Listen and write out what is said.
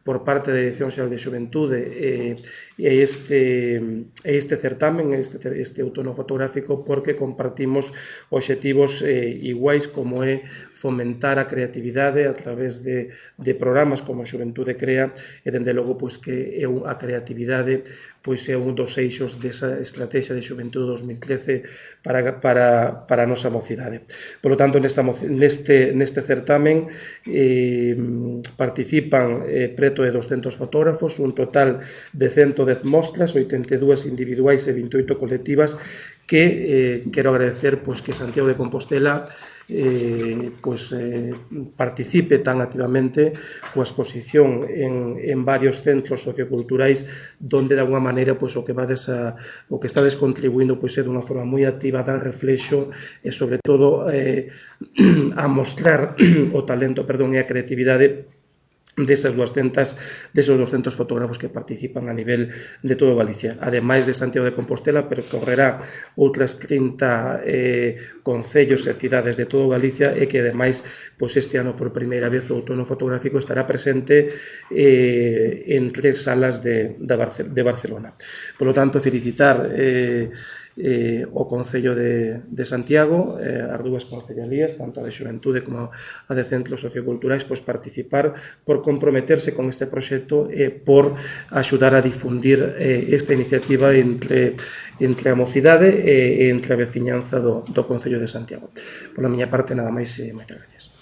por parte da Dirección Xeral de Xuventude este certamen, este outono fotográfico, porque compartimos obxectivos iguais, como é fomentar a creatividade a través de programas como Xuventude Crea, e dende logo que a creatividade é un dos eixos desa estrategia de Xuventude 2013 para a nosa mocidade. Por lo tanto, neste certamen participan preto de 200 fotógrafos, un total de 110 mostras, 82 individuais e 28 colectivas, que quero agradecer que Santiago de Compostela participe tan activamente coa exposición en varios centros socioculturais, donde de alguna maneira o que estades contribuindo é dunha forma moi activa a dar reflexo e sobre todo a mostrar o talento e a creatividade desos 200 fotógrafos que participan a nivel de todo Galicia. Ademais de Santiago de Compostela, percorrerá outras 30 concellos e cidades de todo Galicia, e que ademais este ano por primeira vez o outono fotográfico estará presente en 3 salas de Barcelona. Por lo tanto, felicitar o Concello de Santiago, as dúas concellalías, tanto a de Xuventude como a de Centros Socioculturais, participar, por comprometerse con este proxecto e por axudar a difundir esta iniciativa entre a mocidade e entre a veciñanza do Concello de Santiago. Pola miña parte, nada máis e moitas gracias.